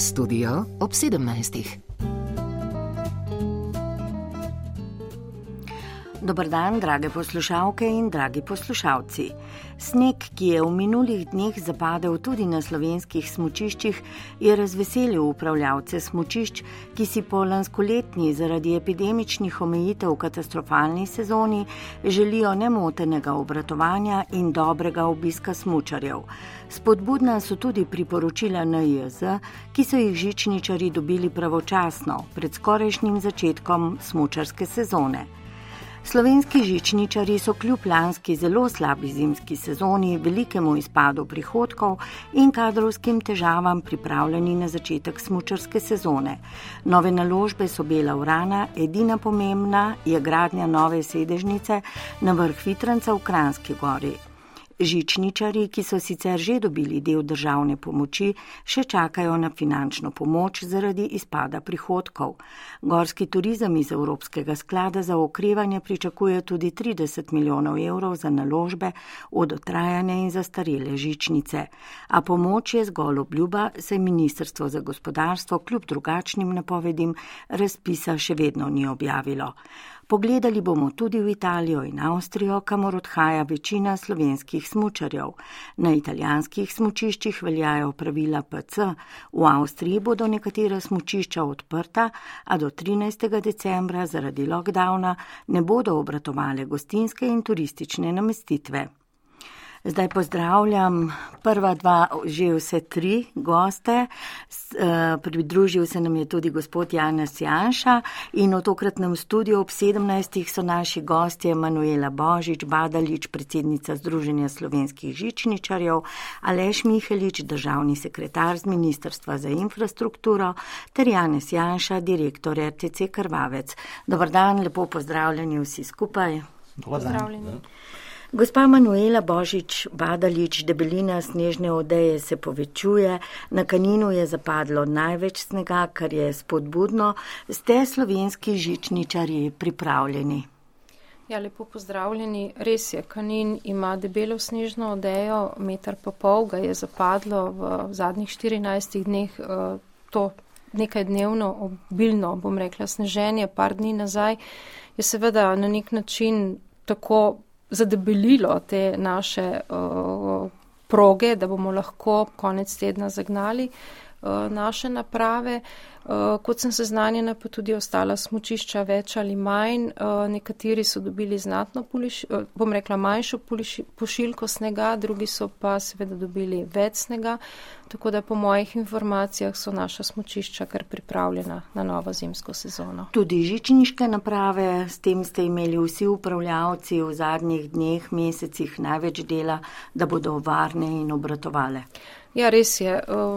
Studio ob 17. Dober dan, drage poslušalke in dragi poslušalci. Sneg, ki je v minulih dneh zapadel tudi na slovenskih smučiščih, je razveselil upravljavce smučišč, ki si po lanskoletni zaradi epidemičnih omejitev v katastrofalni sezoni želijo nemotenega obratovanja in dobrega obiska smučarjev. Spodbudna so tudi priporočila NIJZ, ki so jih žičničarji dobili pravočasno, pred skorajšnjim začetkom smučarske sezone. Slovenski žičničarji so kljub lanski zelo slabi zimski sezoni, velikemu izpadu prihodkov in kadrovskim težavam pripravljeni na začetek smučarske sezone. Nove naložbe so bela vrana, edina pomembna je gradnja nove sedežnice na vrh Vitranca v Kranjski Gori. Žičničarji, ki so sicer že dobili del državne pomoči, še čakajo na finančno pomoč zaradi izpada prihodkov. Gorski turizem iz Evropskega sklada za okrevanje pričakuje tudi 30 milijonov evrov za naložbe v dotrajane in zastarele žičnice. A pomoč je zgolj obljuba, saj Ministrstvo za gospodarstvo kljub drugačnim napovedim razpisa še vedno ni objavilo. Pogledali bomo tudi v Italijo in Avstrijo, kamor odhaja večina slovenskih smučarjev. Na italijanskih smučiščih veljajo pravila PC, v Avstriji bodo nekatera smučišča odprta, a do 13. decembra zaradi lockdowna ne bodo obratovale gostinske in turistične namestitve. Zdaj pozdravljam prva dva, že vse tri goste. Pridružil se nam je tudi gospod Janez Janša in v tokratnem studiu ob 17. so naši gostje Manuela Božič-Badalič, predsednica Združenja slovenskih žičničarjev, Aleš Mihelič, državni sekretar z Ministrstva za infrastrukturo, ter Janez Janša, direktor RTC Krvavec. Dobar dan, lepo pozdravljeni vsi skupaj. Pozdravljeni. Gospa Manuela Božič-Badalič, debelina snežne odeje se povečuje, na Kaninu je zapadlo največ snega, kar je spodbudno. Ste slovenski žičničarji pripravljeni? Ja, lepo pozdravljeni. Res je, Kanin ima debelo snežno odejo, 1,5 metra ga je zapadlo v zadnjih 14 dneh, to nekaj dnevno obilno, bom rekla, sneženje, par dni nazaj, je seveda na nek način tako zadebelilo te naše proge, da bomo lahko konec tedna zagnali naše naprave. Kot sem seznanjena, pa tudi ostala smučišča več ali manj. Nekateri so dobili znatno manjšo pošiljko snega, drugi so pa seveda dobili več snega, tako da po mojih informacijah so naša smučišča kar pripravljena na novo zimsko sezono. Tudi žičniške naprave, s tem ste imeli vsi upravljavci v zadnjih dneh, mesecih največ dela, da bodo varne in obratovale. Ja, res je.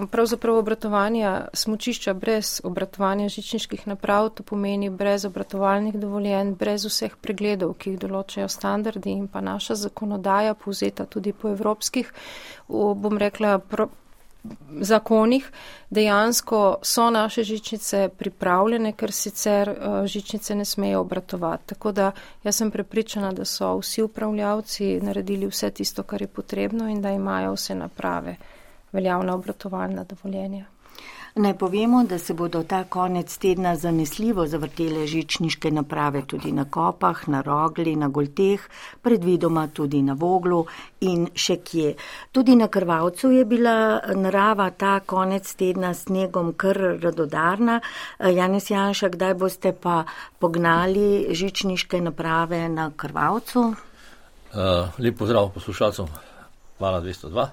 Pravzaprav obratovanja smučišča brez obratovanja žičniških naprav, to pomeni brez obratovalnih dovoljenj, brez vseh pregledov, ki jih določajo standardi in pa naša zakonodaja, povzeta tudi po evropskih, bom rekla, zakonih. Dejansko so naše žičnice pripravljene, ker sicer žičnice ne smejo obratovati. Tako da jaz sem prepričana, da so vsi upravljavci naredili vse tisto, kar je potrebno in da imajo vse naprave veljavna obratovalna dovoljenja. Naj povemo, da se bodo ta konec tedna zanesljivo zavrtele žičniške naprave tudi na Kopah, na Rogli, na Golteh, predvidoma tudi na Voglu in še kje. Tudi na Krvavcu je bila narava ta konec tedna s snegom kar radodarna. Janez Janša, kdaj boste pa pognali žičniške naprave na Krvavcu? Lep pozdrav poslušalcem. Hvala 202.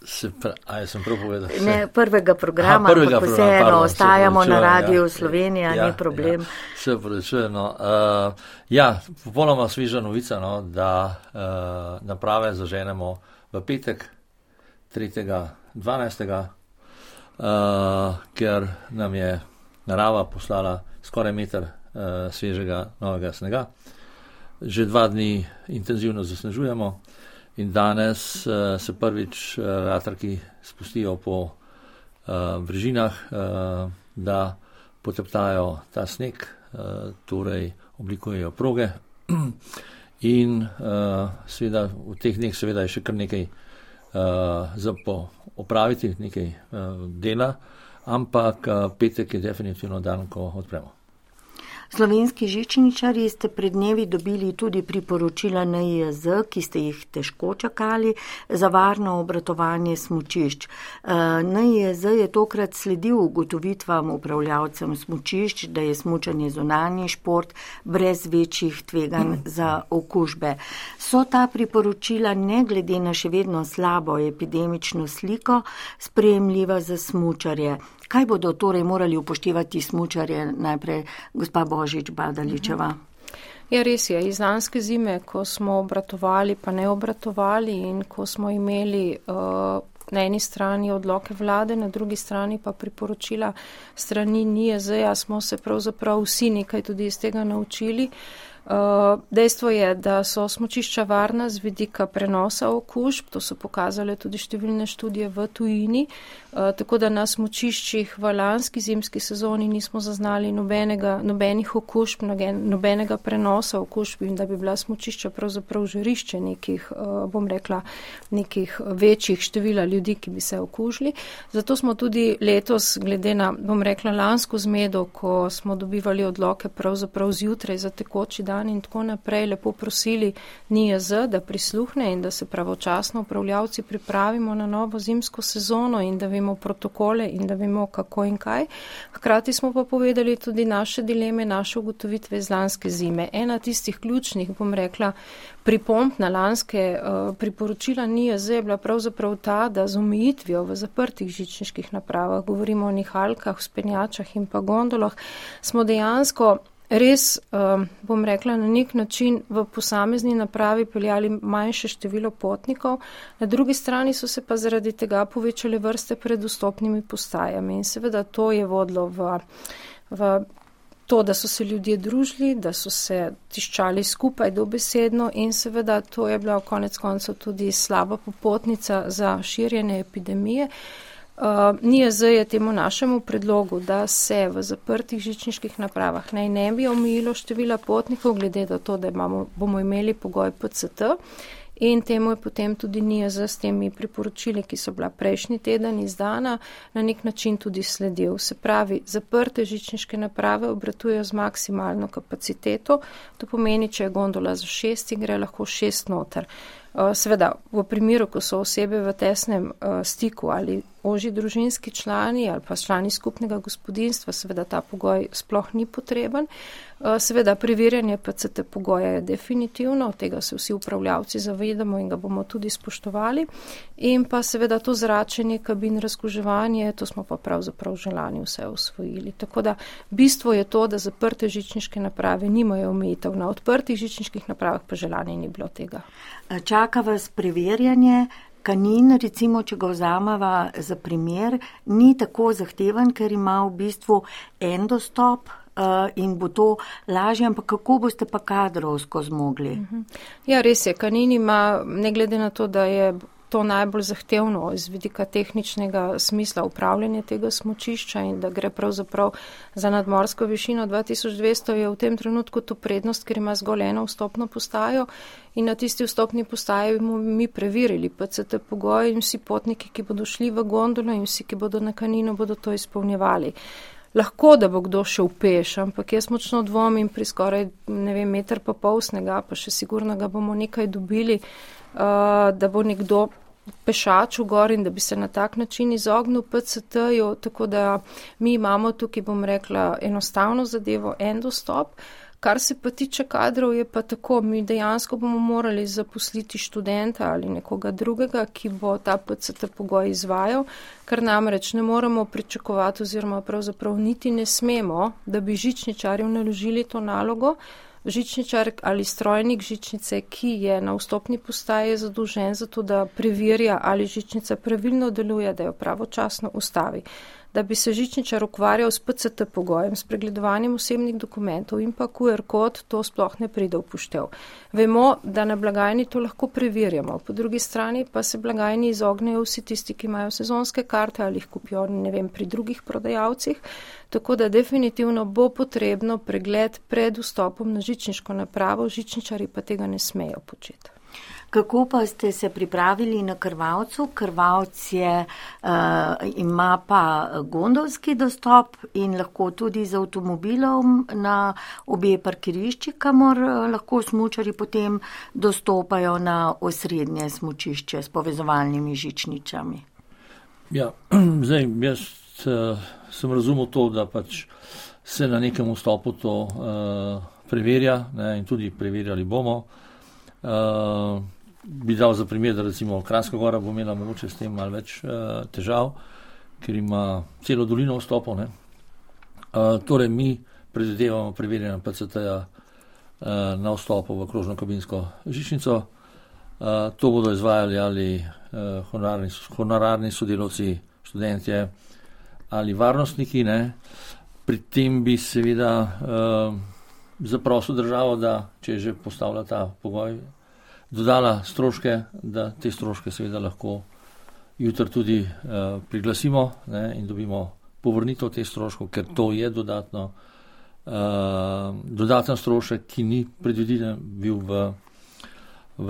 Sem prav povedal? Ne, prvega programa, ampak vseeno ostajamo na Radiu Slovenija, ni problem. Se pravičujem. Popolnoma sveža novica, da naprave zaženemo v petek, 3.12., ker nam je narava poslala skoraj meter svežega novega snega. Že 2 dni intenzivno zasnežujemo. In danes se prvič vetrki spustijo po brežinah, da poteptajo ta sneg, torej oblikujejo proge. In seveda v teh dneh seveda je še kar nekaj opraviti nekaj dela, ampak petek je definitivno dan, ko odpremo. Slovenski žičničarji ste pred dnevi dobili tudi priporočila NIJZ, ki ste jih težko čakali, za varno obratovanje smučišč. NIJZ je tokrat sledil ugotovitvam upravljavcem smučišč, da je smučanje zunanji šport brez večjih tveganj za okužbe. So ta priporočila ne glede na še vedno slabo epidemično sliko sprejemljiva za smučarje? Kaj bodo torej morali upoštevati smučarje, najprej gospa Božič-Badaličeva? Ja, res je. Iz lanske zime, ko smo obratovali pa ne obratovali in ko smo imeli na eni strani odloke vlade, na drugi strani pa priporočila strani NIJZ-ja, smo se pravzaprav vsi nekaj tudi iz tega naučili. Dejstvo je, da so smučišča varna z vidika prenosa okužb, to so pokazale tudi številne študije v tujini, tako da na smučiščih v lanski zimski sezoni nismo zaznali nobenih okužb, nobenega prenosa okužb in da bi bila smučišča pravzaprav žarišče nekih večjih števila ljudi, ki bi se okužili. Zato smo tudi letos, glede na, lansko zmedo, ko smo dobivali odloke pravzaprav zjutraj za tekoči dan in tako naprej, lepo prosili NIJZ, da prisluhne in da se pravočasno upravljavci pripravimo na novo zimsko sezono in da vemo protokole in da vemo kako in kaj. Hkrati smo pa povedali tudi naše dileme, naše ugotovitve iz lanske zime. Ena tistih ključnih, pripomb na lanske priporočila NIJZ je bila pravzaprav ta, da z omejitvijo v zaprtih žičniških napravah, govorimo o nihalkah, vzpenjačah in pa gondolah, smo dejansko res, na nek način v posamezni napravi peljali manjše število potnikov, na drugi strani so se pa zaradi tega povečale vrste pred vstopnimi postajami in seveda to je vodilo v to, da so se ljudje družili, da so se tiščali skupaj dobesedno in seveda to je bila konec koncev tudi slaba popotnica za širjenje epidemije. NIJZ je temu našemu predlogu, da se v zaprtih žičniških napravah naj ne bi omejilo števila potnikov, glede na to, da bomo imeli pogoj PCT in temu je potem tudi NIJZ s temi priporočili, ki so bila prejšnji teden izdana, na nek način tudi sledil. Se pravi, zaprte žičniške naprave obratujejo z maksimalno kapaciteto, to pomeni, če je gondola za 6, gre lahko 6 noter. Seveda, v primeru, ko so osebe v tesnem stiku ali ožji družinski člani ali pa člani skupnega gospodinjstva, seveda ta pogoj sploh ni potreben. Seveda, preverjanje PCT pogoja je definitivno, tega se vsi upravljavci zavedamo in ga bomo tudi spoštovali. In pa seveda to zračenje, kabin, razkuževanje, to smo pa pravzaprav želani vse osvojili. Tako da bistvo je to, da zaprte žičniške naprave nimajo omejitev, na odprtih žičniških napravah pa želanje ni bilo tega. Čaka vas preverjanje. Kanin, recimo, če ga vzameva za primer, ni tako zahteven, ker ima v bistvu en dostop in bo to lažje, ampak kako boste pa kadrovsko zmogli? Ja, res je. Kanin ima, ne glede na to, da je to najbolj zahtevno iz vidika tehničnega smisla upravljanja tega smučišča in da gre pravzaprav za nadmorsko višino 2200, je v tem trenutku to prednost, ker ima zgolj eno vstopno postajo in na tisti vstopni postaji bomo mi preverili PCT pogoj in vsi potniki, ki bodo šli v gondolo in vsi, ki bodo na Kaninu, bodo to izpolnjevali. Lahko, da bo kdo šel peš, ampak jaz močno dvomim pri skoraj, meter pa pol snega, pa še sigurno ga bomo nekaj dobili, da bo nekdo pešaču gor in da bi se na tak način izognil PCT-ju, tako da mi imamo tukaj, enostavno zadevo, en dostop. Kar se pa tiče kadrov, je pa tako, mi dejansko bomo morali zaposliti študenta ali nekoga drugega, ki bo ta PCT pogoj izvajal, ker namreč ne moremo pričakovati oziroma pravzaprav niti ne smemo, da bi žičničarju naložili to nalogo. Žičničar ali strojnik žičnice, ki je na vstopni postaji zadolžen za to, da preverja, ali žičnica pravilno deluje, da jo pravočasno ustavi. Da bi se žičničar ukvarjal s PCT pogojem, s pregledovanjem osebnih dokumentov in pa QR kod, to sploh ne pride v poštev. Vemo, da na blagajni to lahko preverjamo. Po drugi strani pa se blagajni izognejo vsi tisti, ki imajo sezonske karte ali jih kupijo, pri drugih prodajalcih. Tako da definitivno bo potrebno pregled pred vstopom na žičniško napravo, žičničari pa tega ne smejo početi. Kako pa ste se pripravili na Krvavcu? Krvavc ima pa gondolski dostop in lahko tudi z avtomobilom na obe parkirišči, kamor lahko smučari potem dostopajo na osrednje smučišče s povezovalnimi žičnicami. Ja, zdaj, jaz sem razumel to, da pač se na nekem vstopu to preverja, ne, in tudi preverjali bomo. Bi dal za primer, da recimo Kranjska Gora bo imela mogoče s tem malo več težav, ker ima celo dolino vstopov. Torej mi predvidevamo preverjanje PCT-ja na vstopu v krožno kabinsko žičnico. To bodo izvajali ali honorarni sodelavci, študentje ali varnostniki. Ne. Pri tem bi seveda zaprosil državo, da če že postavlja ta pogoj, dodala stroške, da te stroške seveda lahko jutri tudi priglasimo, ne, in dobimo povrnitev teh stroškov, ker to je dodaten strošek, ki ni predviden bil v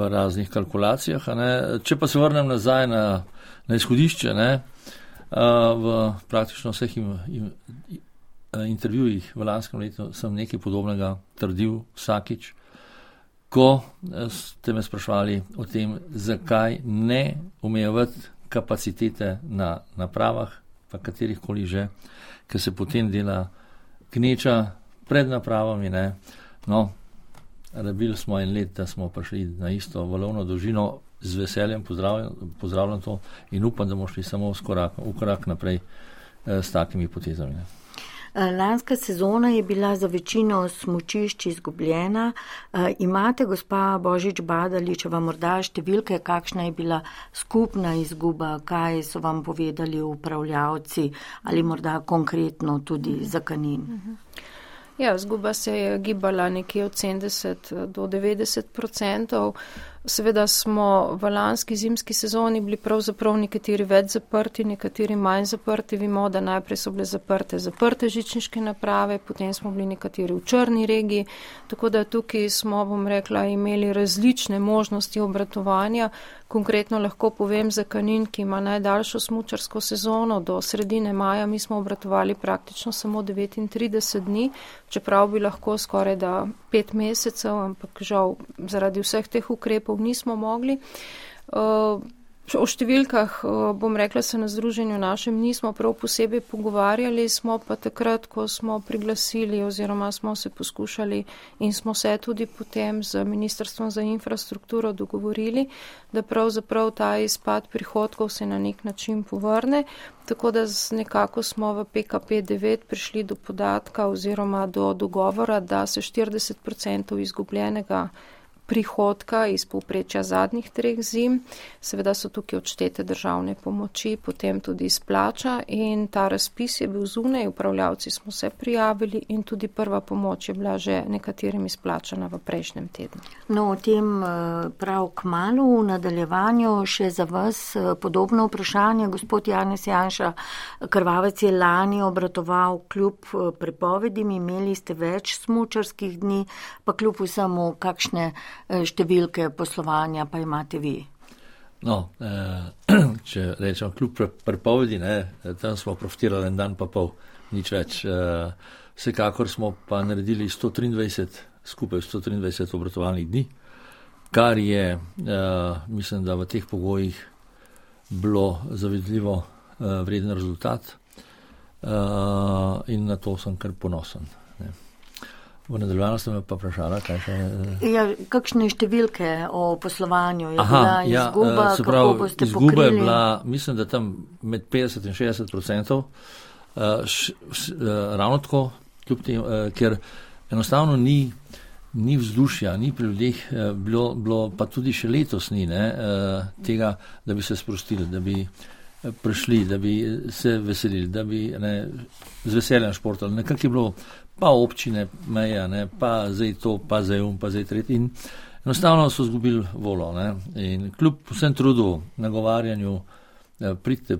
raznih kalkulacijah. Ne. Če pa se vrnem nazaj na izhodišče, ne, v praktično vseh intervjujih v lanskem letu sem nekaj podobnega trdil vsakič, ko ste me sprašvali o tem, zakaj ne omejevati kapacitete na napravah, pa katerihkoli že, ker se potem dela gneča pred napravami. Ne. No, rabili smo en let, da smo prišli na isto valovno dolžino, z veseljem pozdravljam to in upam, da bomo šli samo v korak naprej s takimi potezami. Ne. Lanska sezona je bila za večino smučišč izgubljena. Imate, gospa Božič-Badaličeva, morda številke, kakšna je bila skupna izguba, kaj so vam povedali upravljavci ali morda konkretno tudi za Kanin? Ja, izguba se je gibala nekje od 70 do 90%. Seveda smo v lanski zimski sezoni bili pravzaprav nekateri več zaprti, nekateri manj zaprti. Vemo, da najprej so bile zaprte žičniške naprave, potem smo bili nekateri v črni regiji, tako da tukaj smo, bom rekla, imeli različne možnosti obratovanja. Konkretno lahko povem za Kanin, ki ima najdaljšo smučarsko sezono, do sredine maja mi smo obratovali praktično samo 39 dni, čeprav bi lahko skoraj da 5 mesecev, ampak žal zaradi vseh teh ukrepov nismo mogli. O številkah, bom rekla, se na združenju našem nismo prav posebej pogovarjali, smo pa takrat, ko smo priglasili oziroma smo se poskušali in smo se tudi potem z Ministrstvom za infrastrukturo dogovorili, da pravzaprav ta izpad prihodkov se na nek način povrne, tako da nekako smo v PKP9 prišli do podatka oziroma do dogovora, da se 40% izgubljenega prihodka iz povprečja zadnjih 3 zim, seveda so tukaj odštete državne pomoči, potem tudi izplača in ta razpis je bil zunaj, upravljavci smo se prijavili in tudi prva pomoč je bila že nekaterim izplačana v prejšnjem tednu. No, o tem prav kmalu v nadaljevanju še za vas podobno vprašanje. Gospod Janez Janša, Krvavec je lani obratoval kljub prepovedim, imeli ste več smučarskih dni, pa kljub vsemu kakšne številke poslovanja pa imate vi? No, če rečem kljub prepovedi, tam smo profitirali en dan pa pol, nič več. Vsekakor smo pa naredili 123 obratovalnih dni, kar je, mislim, da v teh pogojih bilo zavidljivo vreden rezultat in na to sem kar ponosen. V nadaljevanju ste me pa vprašala, kaj še... Ja, kakšne številke o poslovanju je bila izguba, prav, kako boste izguba pokrili? Je bila, mislim, da tam med 50 in 60%, ravno tako, kljub tem, ker enostavno ni vzdušja, ni pri ljudeh, bilo pa tudi še letos ni tega, da bi se sprostili, da bi prišli, da bi se veselili, da bi z veseljem športali. Nekako je bilo pa občine, meja, pa zdaj to, pa zdaj pa zdaj tretji. In enostavno so zgubili volo. In kljub vsem trudu, nagovarjanju, pridite,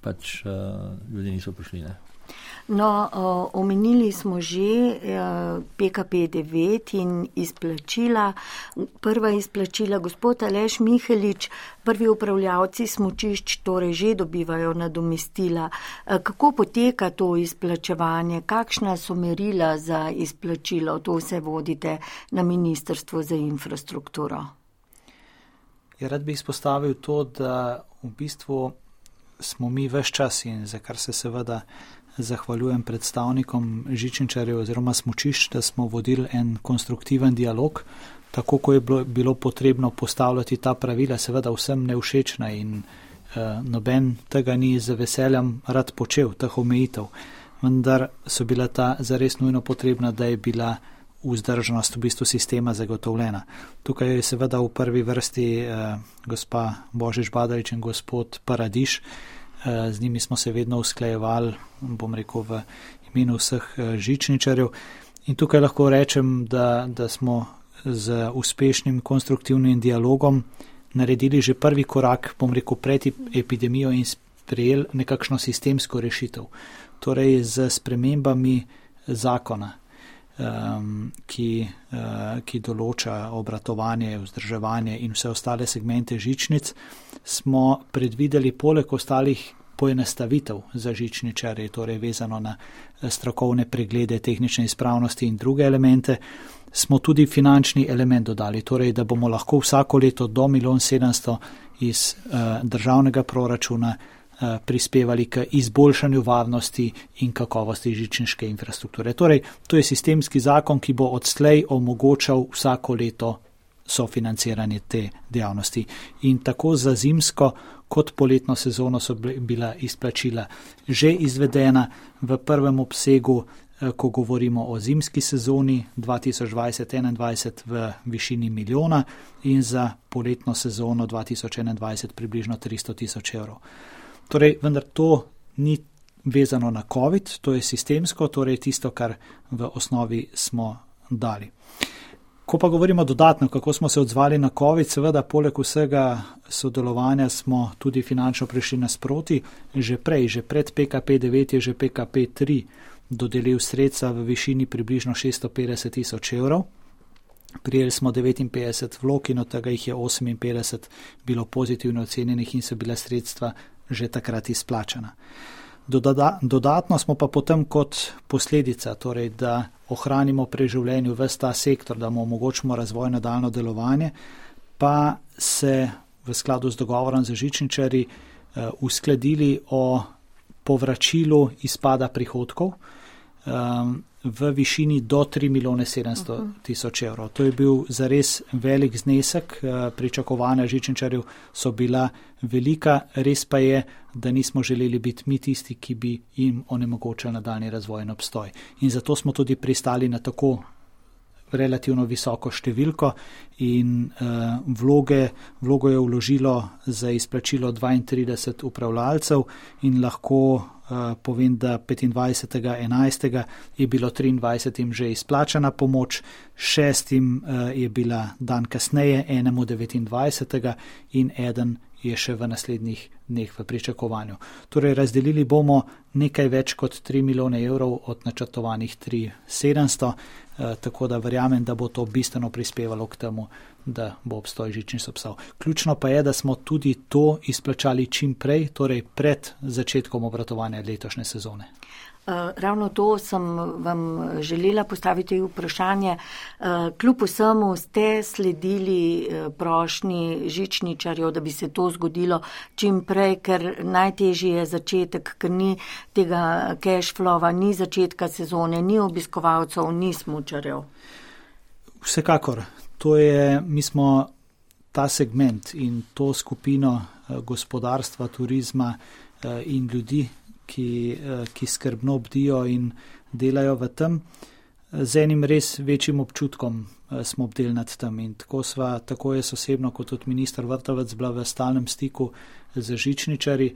pač ljudje niso prišli. No, omenili smo že PKP9 in izplačila. Prva izplačila, gospod Aleš Mihelič, prvi upravljavci smučišč torej že dobivajo nadomestila. Kako poteka to izplačevanje? Kakšna so merila za izplačilo? To vse vodite na Ministrstvu za infrastrukturo. Rad bi izpostavil to, da v bistvu smo mi ves čas in za kar se seveda zahvaljujem predstavnikom žičničarjev oziroma smučišč, da smo vodili en konstruktiven dialog, tako ko je bilo potrebno postavljati ta pravila, seveda vsem nevšečna in noben tega ni z veseljem rad počel, teh omejitev, vendar so bila ta zares nujno potrebna, da je bila vzdržnost v bistvu sistema zagotovljena. Tukaj je seveda v prvi vrsti gospa Božič Badalič in gospod Paradiš. Z njimi smo se vedno usklajevali, bom rekel, v imenu vseh žičničarjev. In tukaj lahko rečem, da smo z uspešnim konstruktivnim dialogom naredili že prvi korak, bom rekel, pred epidemijo in sprejeli nekakšno sistemsko rešitev. Torej z spremembami zakona, ki določa obratovanje, vzdrževanje in vse ostale segmente žičnic, smo predvideli poleg ostalih poenostavitev za žičničarje, torej vezano na strokovne preglede, tehnične izpravnosti in druge elemente, smo tudi finančni element dodali, torej da bomo lahko vsako leto do 1,7 iz državnega proračuna prispevali k izboljšanju varnosti in kakovosti žičniške infrastrukture. Torej, to je sistemski zakon, ki bo odslej omogočal vsako leto sofinanciranje te dejavnosti. In tako za zimsko kot poletno sezono so bila izplačila že izvedena v prvem obsegu, ko govorimo o zimski sezoni 2020-2021 v višini 1 milijona in za poletno sezono 2021 približno 300 tisoč evrov. Torej, vendar to ni vezano na COVID, to je sistemsko, torej tisto, kar v osnovi smo dali. Ko pa govorimo dodatno, kako smo se odzvali na COVID, seveda poleg vsega sodelovanja smo tudi finančno prišli nasproti. Že pred PKP9 je že PKP3 dodelil sredstva v višini približno 650 tisoč evrov. Prijeli smo 59 vlog in od tega jih je 58 bilo pozitivno ocenjenih in so bila sredstva že takrat izplačana. Dodatno smo pa potem kot posledica, torej da ohranimo pri življenju ves ta sektor, da mu omogočimo razvoj nadaljno delovanje, pa se v skladu z dogovorom za žičničarji uskladili o povračilu izpada prihodkov v višini do 3,7 milijona evrov. To je bil zares velik znesek, pričakovanja žičničarjev so bila velika, res pa je, da nismo želeli biti mi tisti, ki bi jim onemogočili nadaljnji razvoj in obstoj. In zato smo tudi pristali na tako relativno visoko številko in vlogo je vložilo za izplačilo 32 upravljalcev in lahko povem, da 25.11. je bilo 23 že izplačana pomoč, 6 je bila dan kasneje, enemu 29. in eden je še v naslednjih dneh v pričakovanju. Torej razdelili bomo nekaj več kot 3 milijone evrov od načrtovanih 3,700, tako da verjamem, da bo to bistveno prispevalo k temu, da bo obstoj žičnic obstal. Ključno pa je, da smo tudi to izplačali čim prej, torej pred začetkom obratovanja letošnje sezone. Ravno to sem vam želela postaviti vprašanje. Kljub vsemu ste sledili prošnji žičničarjev, da bi se to zgodilo čim prej, ker najtežji je začetek, ker ni tega cash flowa, ni začetka sezone, ni obiskovalcev, ni smučarjev. Vsekakor. Mi smo ta segment in to skupino gospodarstva, turizma in ljudi, ki skrbno bdijo in delajo v tem, z enim res večjim občutkom smo bdeli nad tem. In tako je osebno kot tudi minister Vrtovec bila v stalnem stiku z žičničarji,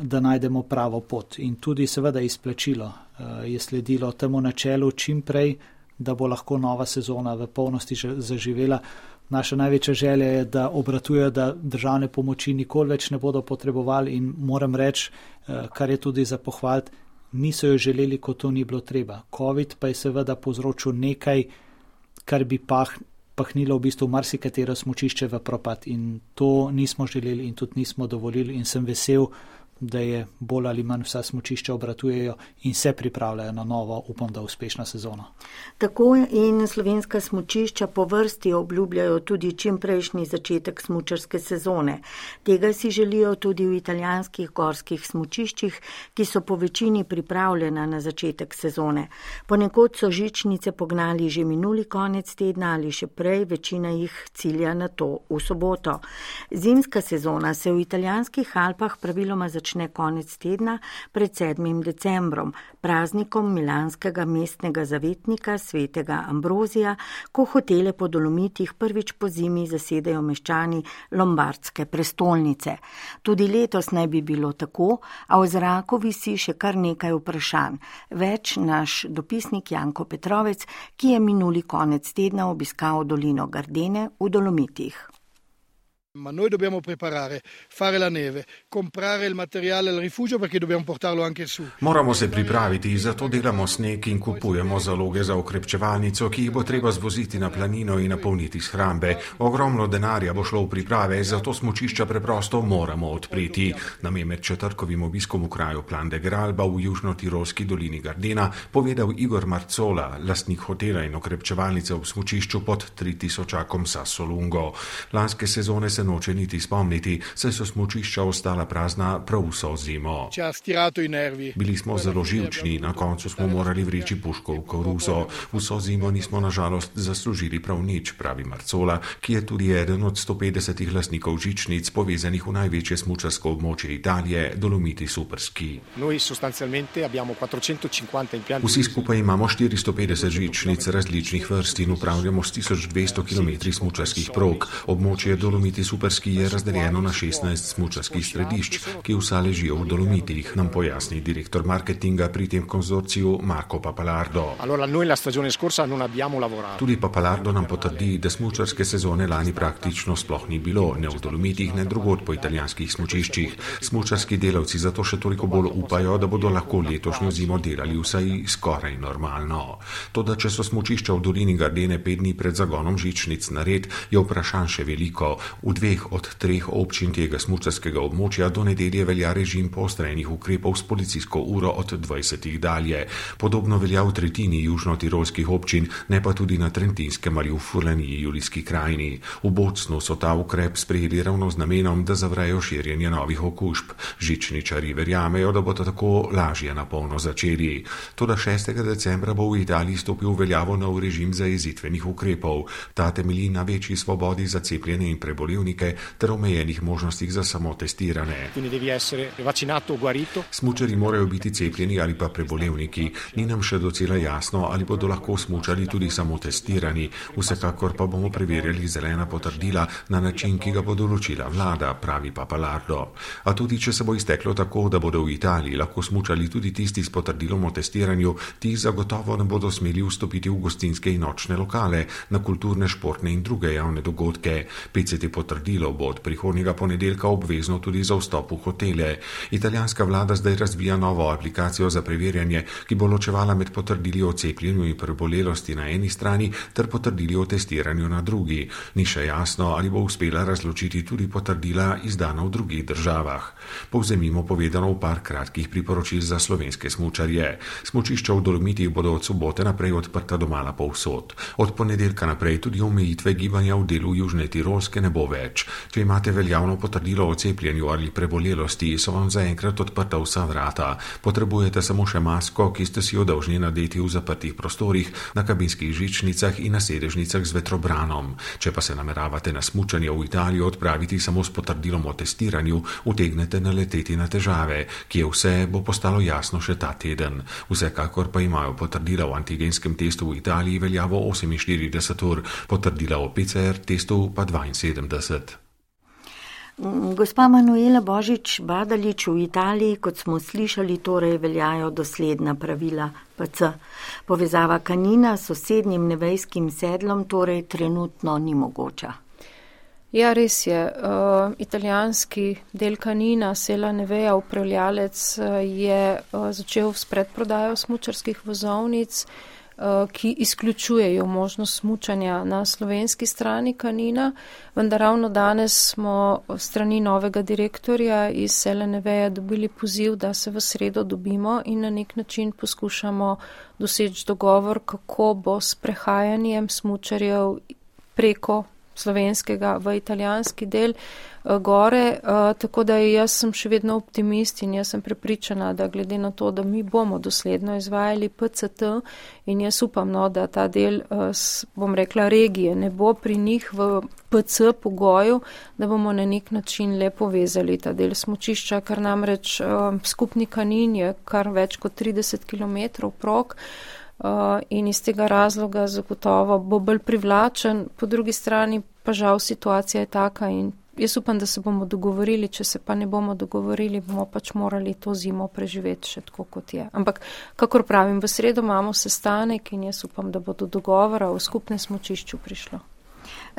da najdemo pravo pot. In tudi seveda izplačilo je sledilo temu načelu čim prej, da bo lahko nova sezona v polnosti zaživela. Naša največja želja je, da obratujejo, da državne pomoči nikoli več ne bodo potrebovali in moram reči, kar je tudi za pohvaliti, niso jo želeli, ko to ni bilo treba. COVID pa je seveda povzročil nekaj, kar bi pahnilo v bistvu marsikatero smučišče v propad in to nismo želeli in tudi nismo dovolili in sem vesel, da je bolj ali manj vsa smučišča obratujejo in se pripravljajo na novo, upam, da uspešno sezono. Tako in slovenska smučišča po vrsti obljubljajo tudi čimprejšnji začetek smučarske sezone. Tega si želijo tudi v italijanskih gorskih smučiščih, ki so po večini pripravljena na začetek sezone. Ponekod so žičnice pognali že minuli konec tedna ali še prej, večina jih cilja na to v soboto. Zimska sezona se v italijanskih Alpah praviloma začne konec tedna pred 7. decembrom, praznikom milanskega mestnega zavetnika svetega Ambrozija, ko hotele po Dolomitih prvič po zimi zasedajo meščani lombardske prestolnice. Tudi letos naj bi bilo tako, a v zraku visi še kar nekaj vprašanj. Več naš dopisnik Janko Petrovec, ki je minuli konec tedna obiskal dolino Gardene v Dolomitih. Ma noi dobbiamo preparare, fare la neve, comprare il materiale al rifugio perché dobbiamo portarlo anche su. Moramo se pripraviti, zato delamo sneg in kupujemo zaloge za okrepčevalnico, ki jih bo treba zvoziti na planino in napolniti shrambe. Ogromno denarja bo šlo v priprave, zato smučišča preprosto moramo odpreti. Nam je med četrtkovim obiskom v kraju Plan de Gralba v južno-tirolski dolini Gardena povedal Igor Marcola, lastnik hotela in okrepčevalnice v smučišču pod 3000 Sasso Lungo. Lanske sezone se noče niti spomniti, saj so smučišča ostala prazna prav vso zimo. Bili smo zelo živčni, na koncu smo morali vreči puško v koruzo. Vso zimo nismo nažalost zaslužili prav nič, pravi Marcola, ki je tudi eden od 150 lastnikov žičnic povezanih v največje smučarsko območje Italije, Dolomiti Superski. Vsi skupaj imamo 450 žičnic različnih vrst in upravljamo s 1200 km smučarskih prog. Območje Dolomiti Superski je razdeljeno na 16 smučarskih središč, ki vsa ležijo v Dolomitih, nam pojasni direktor marketinga pri tem konzorciju Marco Papalardo. Tudi Papalardo nam potrdi, da smučarske sezone lani praktično sploh ni bilo, ne v Dolomitih, ne drugod po italijanskih smučiščih. Smučarski delavci zato še toliko bolj upajo, da bodo lahko letošnjo zimo delali vsaj skoraj normalno. Toda če so smučišča v dolini Gardene 5 dni pred zagonom žičnic nared, je vprašanj še veliko. V 2 od 3 občin tega smučarskega območja do nedelje velja režim poostrenih ukrepov s policijsko uro od 20 dalje. Podobno velja v tretjini južno-tirolskih občin, ne pa tudi na Trentinskem ali v Furlaniji Julijski krajini. V Bocnu so ta ukrep sprejeli ravno z namenom, da zavrejo širjenje novih okužb. Žičničarji verjamejo, da bodo tako lažje na polno začeli. Toda 6. decembra bo v Italiji stopil v veljavo nov režim zajezitvenih ukrepov. Ta temelji na večji svobodi za cepljene in prebolevnike ter omejenih možnostih za samotestirane. Smučari morajo biti cepljeni ali pa prebolevniki. Ni nam še docela jasno, ali bodo lahko smučali tudi samotestirani. Vsekakor pa bomo preverjali zelena potrdila na način, ki ga bo določila vlada, pravi Papalardo. A tudi če se bo izteklo tako, da bodo v Italiji lahko smučali tudi tisti s potrdilom o testiranju, ti zagotovo ne bodo smeli vstopiti v gostinske in nočne lokale, na kulturne, športne in druge javne dogodke. PCT potrdilo bo od prihodnjega ponedeljka obvezno tudi za vstop v hotele. Italijanska vlada zdaj razvija novo aplikacijo za preverjanje, ki bo ločevala med potrdili o cepljenju in prebolelosti na eni strani ter potrdili o testiranju na drugi. Ni še jasno, ali bo uspela razločiti tudi potrdila izdana v drugih državah. Povzemimo povedano v par kratkih priporočil za slovenske smučarje. Smučišča v Dolomitih bodo od sobote naprej odprta domala povsod. Od ponedeljka naprej tudi omejitve gibanja v delu Južne Tirolske ne bo več. Če imate veljavno potrdilo o cepljenju ali prebolelosti, so vam zaenkrat odprta vsa vrata. Potrebujete samo še masko, ki ste si jo dolžni nadeti v zaprtih prostorih, na kabinskih žičnicah in na sedežnicah z vetrobranom. Če pa se nameravate na smučanje v Italijo odpraviti samo s potrdilom o testiranju, utegnete naleteti na težave, ki je vse bo postalo jasno še ta teden. Vsekakor pa imajo potrdila o antigenskem testu v Italiji veljavo 48 ur, potrdila o PCR testu pa 72. Gospa Manuela Božič-Badalič, v Italiji, kot smo slišali, torej veljajo dosledna pravila PC. Povezava Kanina s sosednjim nevejskim sedlom torej trenutno ni mogoča. Ja, res je. Italijanski del Canina, Sella Nevea, upravljalec, je začel s predprodajo smučarskih vozovnic, ki izključujejo možnost smučanja na slovenski strani Canina, vendar ravno danes smo strani novega direktorja iz Selle Nevea dobili poziv, da se v sredo dobimo in na nek način poskušamo doseči dogovor, kako bo s prehajanjem smučarjev preko slovenskega v italijanski del gore, tako da jaz sem še vedno optimist in jaz sem prepričana, da glede na to, da mi bomo dosledno izvajali PCT in jaz upam, da ta del, bom rekla, regije ne bo pri njih v PC pogoju, da bomo na nek način le povezali ta del smučišča, kar namreč skupni Kanin je kar več kot 30 km prog, in iz tega razloga zagotovo bo bolj privlačen, po drugi strani pa žal situacija je taka in jaz upam, da se bomo dogovorili, če se pa ne bomo dogovorili, bomo pač morali to zimo preživeti še tako, kot je. Ampak, kakor pravim, v sredo imamo sestanek in jaz upam, da bo do dogovora o skupnem smučišču prišlo.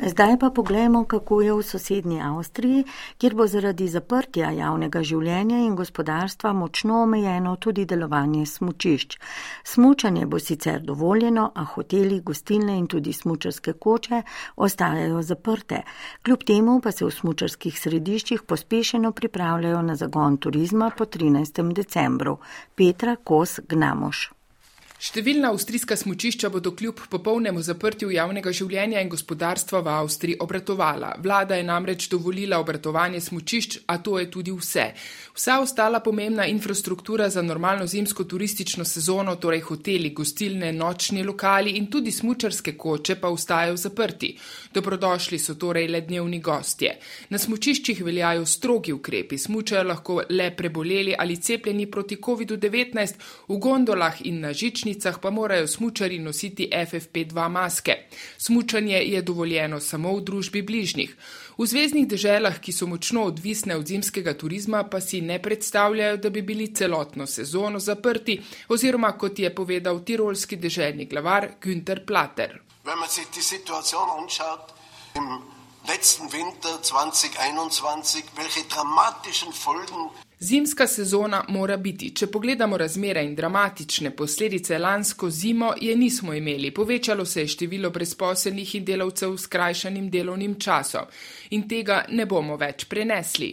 Zdaj pa poglejmo, kako je v sosednji Avstriji, kjer bo zaradi zaprtja javnega življenja in gospodarstva močno omejeno tudi delovanje smučišč. Smučanje bo sicer dovoljeno, a hoteli, gostilne in tudi smučarske koče ostajajo zaprte. Kljub temu pa se v smučarskih središčih pospešeno pripravljajo na zagon turizma po 13. decembru. Petra Kos-Gnamoš. Številna avstrijska smučišča bodo kljub popolnemu zaprtju javnega življenja in gospodarstva v Avstriji obratovala. Vlada je namreč dovolila obratovanje smučišč, a to je tudi vse. Vsa ostala pomembna infrastruktura za normalno zimsko turistično sezono, torej hoteli, gostilne, nočni lokali in tudi smučarske koče pa ostajajo zaprti. Dobrodošli so torej le dnevni gostje. Na smučiščih veljajo strogi ukrepi, smučajo lahko le preboleli ali cepljeni proti COVID-19, v gondolah in na žičnicah pa morajo smučari nositi FFP2 maske. Smučanje je dovoljeno samo v družbi bližnjih. V zveznih deželah, ki so močno odvisne od zimskega turizma, pa si ne predstavljajo, da bi bili celotno sezono zaprti, oziroma kot je povedal tirolski deželni glavar Günther Platter. Wenn man sich die Situation anschaut, im letzten Winter 2021, welche dramatischen Folgen Zimska sezona mora biti. Če pogledamo razmere in dramatične posledice lansko zimo, je nismo imeli. Povečalo se je število brezposelnih in delavcev s skrajšanim delovnim časom. In tega ne bomo več prenesli.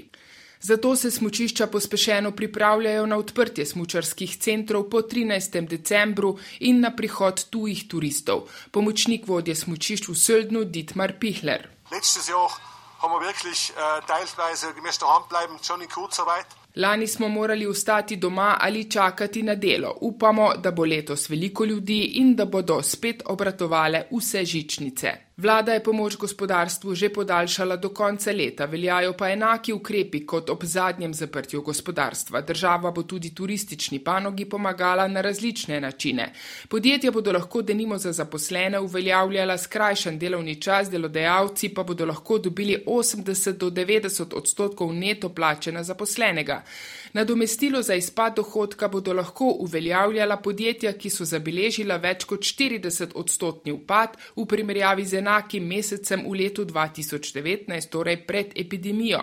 Zato se smučišča pospešeno pripravljajo na odprtje smučarskih centrov po 13. decembru in na prihod tujih turistov. Pomočnik vodje smučišč v Söldnu Dietmar Pichler. Letztes Jahr haben wir wirklich teilweise gemäß daheim bleiben, schon in Kurzarbeit. Lani smo morali ostati doma ali čakati na delo. Upamo, da bo letos veliko ljudi in da bodo spet obratovale vse žičnice. Vlada je pomoč gospodarstvu že podaljšala do konca leta, veljajo pa enaki ukrepi kot ob zadnjem zaprtju gospodarstva. Država bo tudi turistični panogi pomagala na različne načine. Podjetja bodo lahko denimo za zaposlene uveljavljala skrajšan delovni čas, delodajalci pa bodo lahko dobili 80 do 90% neto plače na zaposlenega. Nadomestilo za izpad dohodka bodo lahko uveljavljala podjetja, ki so zabeležila več kot 40% upad v primerjavi z enakim mesecem v letu 2019, torej pred epidemijo.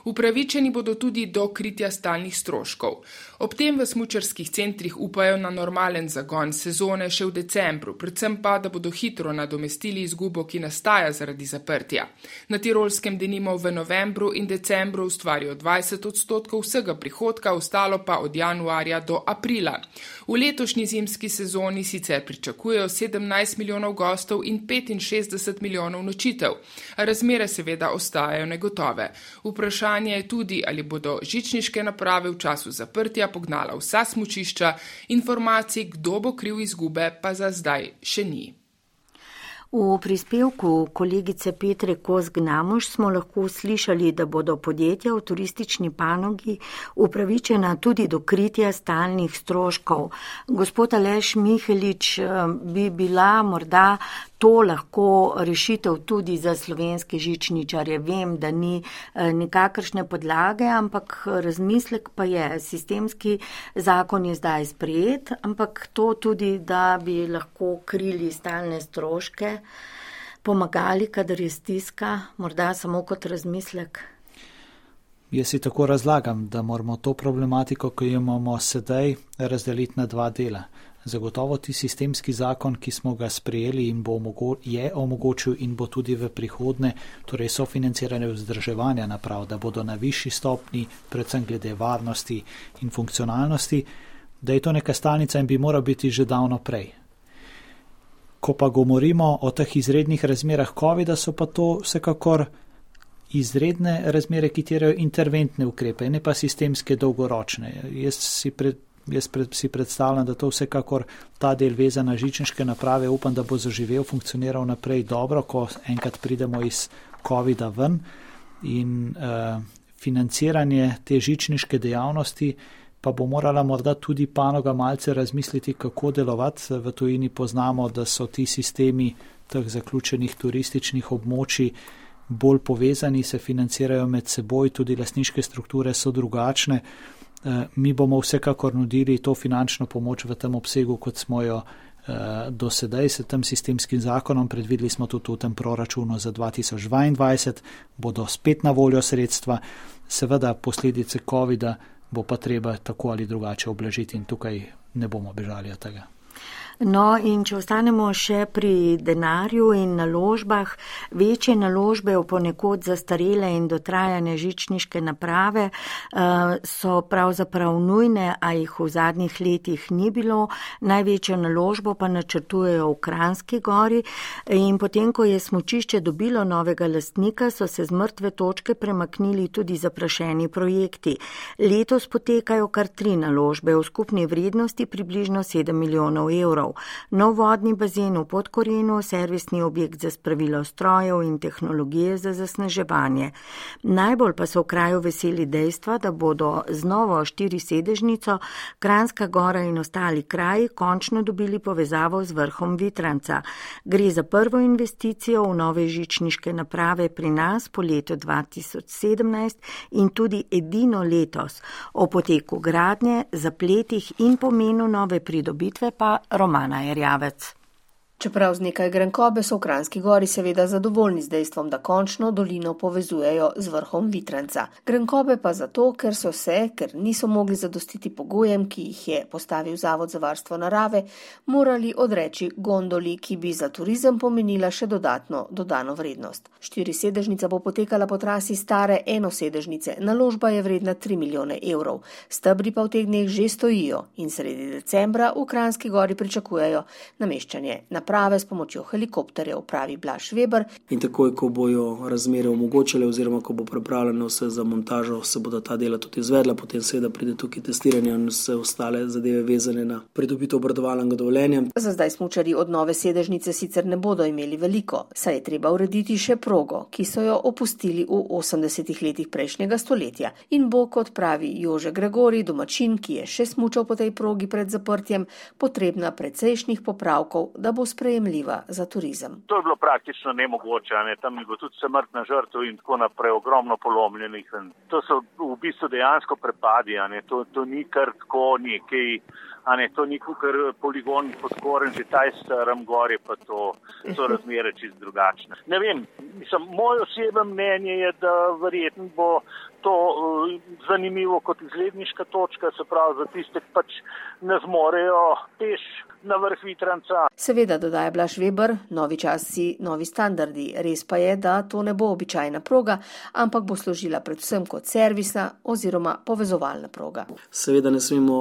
Upravičeni bodo tudi do kritja stalnih stroškov. Ob tem v smučarskih centrih upajo na normalen zagon sezone še v decembru, predvsem pa, da bodo hitro nadomestili izgubo, ki nastaja zaradi zaprtja. Na Tirolskem denimo v novembru in decembru ustvarijo 20% vsega prihodka, ostalo pa od januarja do aprila. V letošnji zimski sezoni sicer pričakujejo 17 milijonov gostov in 65 milijonov nočitev. Razmere seveda ostajajo negotove. Vprašanje je tudi, ali bodo žičniške naprave v času zaprtja pognala vsa smučišča, informacij, kdo bo kriv izgube, pa za zdaj še ni. V prispevku kolegice Petre Kos-Gnamoš smo lahko slišali, da bodo podjetja v turistični panogi upravičena tudi do kritja stalnih stroškov. Gospod Aleš Mihelič, bi bila morda to lahko rešitev tudi za slovenske žičničarje? Vem, da ni nikakršne podlage, ampak razmislek pa je. Sistemski zakon je zdaj sprejet, ampak to tudi, da bi lahko krili stalne stroške pomagali, kadar je stiska, morda samo kot razmislek? Jaz si tako razlagam, da moramo to problematiko, ki jo imamo sedaj, razdeliti na dva dela. Zagotovo ti sistemski zakon, ki smo ga sprejeli in je omogočil in bo tudi v prihodnje, torej sofinanciranje vzdrževanja naprav, da bodo na višji stopni, predvsem glede varnosti in funkcionalnosti, da je to neka stalnica in bi moral biti že davno prej. Ko pa govorimo o teh izrednih razmerah COVID-a, so pa to vsekakor izredne razmere, ki terjajo interventne ukrepe, ne pa sistemske dolgoročne. Jaz si predstavljam, da to vsekakor ta del vezan na žičniške naprave, upam, da bo zaživel, funkcioniral naprej dobro, ko enkrat pridemo iz COVID-a ven in financiranje te žičniške dejavnosti pa bo morala morda tudi panoga malce razmisliti, kako delovati. V tujini poznamo, da so ti sistemi teh zaključenih turističnih območij bolj povezani, se financirajo med seboj, tudi lastniške strukture so drugačne. Mi bomo vsekakor nudili to finančno pomoč v tem obsegu, kot smo jo do sedaj s tem sistemskim zakonom. Predvideli smo tudi v tem proračunu za 2022, bodo spet na voljo sredstva. Seveda posledice COVID-a bo pa treba tako ali drugače oblažiti in tukaj ne bomo bežali od tega. No, in če ostanemo še pri denarju in naložbah, večje naložbe v ponekod zastarele in dotrajane žičniške naprave so pravzaprav nujne, a jih v zadnjih letih ni bilo. Največjo naložbo pa načrtujejo v Kranjski Gori in potem, ko je smučišče dobilo novega lastnika, so se z mrtve točke premaknili tudi zaprašeni projekti. Letos potekajo kar 3 naložbe v skupni vrednosti približno 7 milijonov evrov. Nov vodni bazen v Podkorenu, servisni objekt za spravilo strojev in tehnologije za zasneževanje. Najbolj pa so v kraju veseli dejstva, da bodo z novo 4-sedežnico Kranjska Gora in ostali kraji končno dobili povezavo z vrhom Vitranca. Gre za prvo investicijo v nove žičniške naprave pri nas po letu 2017 in tudi edino letos. O poteku gradnje, zapletih in pomenu nove pridobitve pa Romana Erjavec. Čeprav z nekaj grenkobe so v Kranjski Gori seveda zadovoljni z dejstvom, da končno dolino povezujejo z vrhom Vitranca. Grenkobe pa zato, ker niso mogli zadostiti pogojem, ki jih je postavil Zavod za varstvo narave, morali odreči gondoli, ki bi za turizem pomenila še dodatno dodano vrednost. 4-sedežnica bo potekala po trasi stare 1-sedežnice, naložba je vredna 3 milijone evrov. Stebri pa v teh dneh že stojijo in sredi decembra v Kranjski Gori pričakujejo nameščanje naprave s pomočjo helikopterjev, pravi Blaž Veber. In takoj, ko bojo razmere omogočile oziroma ko bo pripravljeno vse za montažo, se bodo ta dela tudi izvedla, potem seveda pride tukaj testiranje in vse ostale zadeve vezane na pridobitev obratovalnega dovoljenja. Za zdaj smučarji od nove sedežnice sicer ne bodo imeli veliko, saj je treba urediti še progo, ki so jo opustili v 80-ih letih prejšnjega stoletja. In bo, kot pravi Jože Gregori, domačin, ki je še smučal po tej progi pred zaprtjem, potrebna precejšnjih popravkov, da bo sprejemljiva za turizem. To je bilo praktično nemogoče, tam je bilo tudi smrtna žrtev in tako naprej, ogromno polomljenih. To so v bistvu dejansko prepadi, to ni kar tako nekaj, to ni kar poligon Podkoren, že taj Starem Gori, pa to so razmere čisto drugačne. Ne vem, moj osebno mnenje je, da verjetno bo to zanimivo kot izletniška točka, se pravi za tiste, ki pač ne zmorejo peš na vrh Vitranca. Seveda, dodaja Blaž Veber, novi časi, novi standardi. Res pa je, da to ne bo običajna proga, ampak bo služila predvsem kot servisna oziroma povezovalna proga. Seveda ne smemo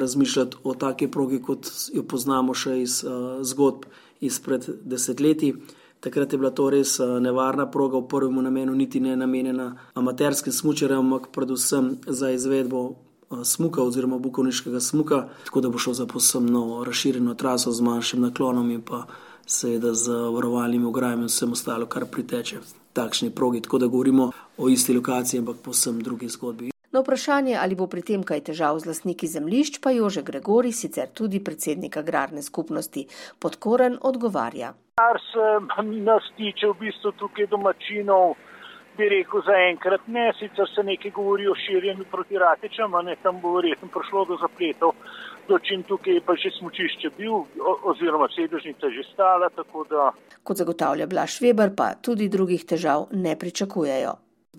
razmišljati o taki progi, kot jo poznamo še iz zgodb izpred desetletij. Takrat je bila to res nevarna proga, v prvem namenu niti ne namenjena amaterskim smučarjem, ampak predvsem za izvedbo smuka oziroma bukovniškega smuka, tako da bo šel za povsem novo razširjeno traso z manjšim naklonom in pa seveda z varovalnimi ograjami in vsem ostalo, kar priteče takšni progi, tako da govorimo o isti lokaciji, ampak povsem drugi zgodbi. Na vprašanje, ali bo pri tem kaj težav z lastniki zemljišč, pa Jože Gregori, sicer tudi predsednik agrarne skupnosti Podkoren, odgovarja. Kar se nas tiče v bistvu tukaj domačinov, bi rekel zaenkrat ne, sicer se nekaj govori o širjenju proti Ratečam, tam bo verjetno prišlo do zapletov, dočim tukaj je pa že smučišče bil, oziroma sedežnica že stala, tako da. Kot zagotavlja Blaž Veber, pa tudi drugih težav ne pričakujejo.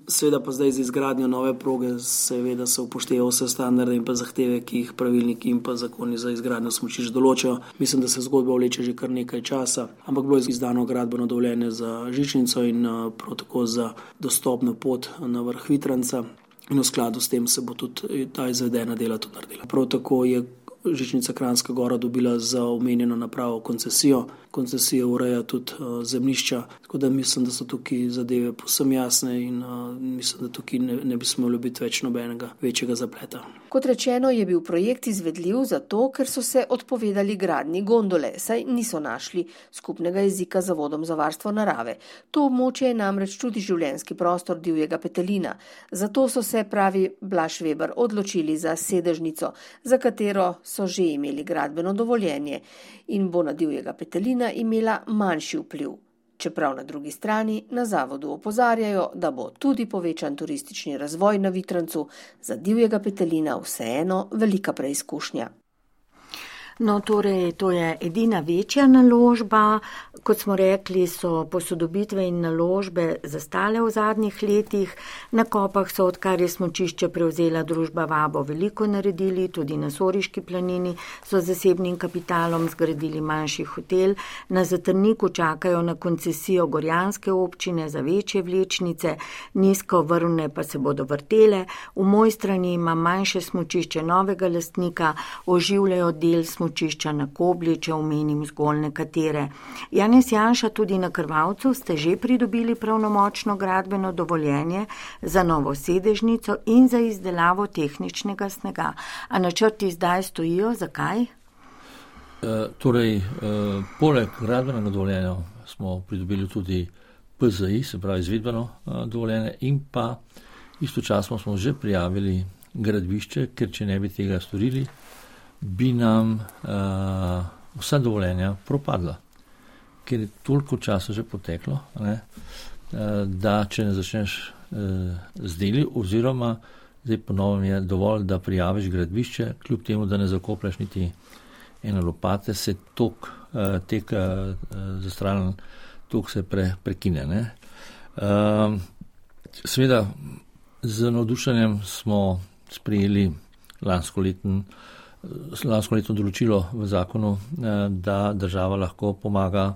Seveda pa zdaj z izgradnjo nove proge seveda se upoštevajo vse standarde in pa zahteve, ki jih pravilniki in pa zakoni za izgradnjo smučišč določajo. Mislim, da se zgodba vleče že kar nekaj časa, ampak bilo je izdano gradbeno dovoljenje za žičnico in prav tako za dostopno pot na vrh Vitranca in v skladu s tem se bo tudi ta izvedena dela tudi naredila. Prav tako je žičnica Kranjska Gora dobila za omenjeno napravo koncesijo. Koncesija ureja tudi zemljišča, tako da mislim, da so tukaj zadeve povsem jasne in mislim, da tukaj ne bi smelo biti več nobenega večjega zapleta. Kot rečeno, je bil projekt izvedljiv zato, ker so se odpovedali gradnji gondole, saj niso našli skupnega jezika z Zavodom za varstvo narave. To območje je namreč tudi življenjski prostor divjega petelina. Zato so se, pravi Blaž Veber, odločili za sedežnico, za katero so že imeli gradbeno dovoljenje in bo na divjega petelina imela manjši vpliv. Čeprav na drugi strani na zavodu opozarjajo, da bo tudi povečan turistični razvoj na Vitrancu za divjega petelina vseeno velika preizkušnja. No, torej, to je edina večja naložba. Kot smo rekli, so posodobitve in naložbe zastale v zadnjih letih. Na Kopah so, odkar je smučišče prevzela družba Vabo, veliko naredili, tudi na Soriški planini so z zasebnim kapitalom zgradili manjši hotel. Na Zatrniku čakajo na koncesijo Gorjanske občine za večje vlečnice, nizko vrvne pa se bodo vrtele. V Mojstrani ima manjše smučišče novega lastnika, oživljajo del smučišča na Kobli, če omenim zgolj nekatere. Janez Janša, tudi na Krvavcu ste že pridobili pravnomočno gradbeno dovoljenje za novo sedežnico in za izdelavo tehničnega snega. A načrti zdaj stojijo, zakaj? Poleg gradbenega dovoljenja smo pridobili tudi PZI, se pravi izvedbeno dovoljenje, in pa istočasno smo že prijavili gradbišče, ker če ne bi tega storili, bi nam vsa dovoljenja propadla, ker je toliko časa že poteklo, da če ne začneš z deli, oziroma zdaj ponovno je dovolj, da prijaviš gradbišče, kljub temu, da ne zakoplješ niti ene lopate, se tek zastralen tok se prekine. Seveda, z navdušenjem smo sprejeli lansko letno določilo v zakonu, da država lahko pomaga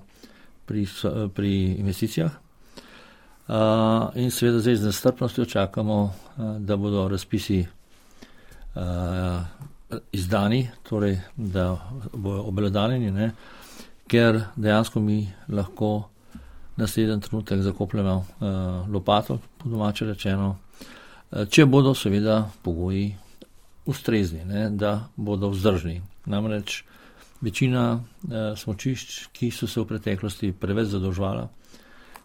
pri investicijah. In seveda zdaj z nestrpnostjo čakamo, da bodo razpisi izdani, torej da bodo obelodanjeni, ker dejansko mi lahko naslednji trenutek zakopljemo lopato, po domače rečeno, če bodo seveda pogoji ustrezni, da bodo vzdržni. Namreč večina smučišč, ki so se v preteklosti preveč zadolževala,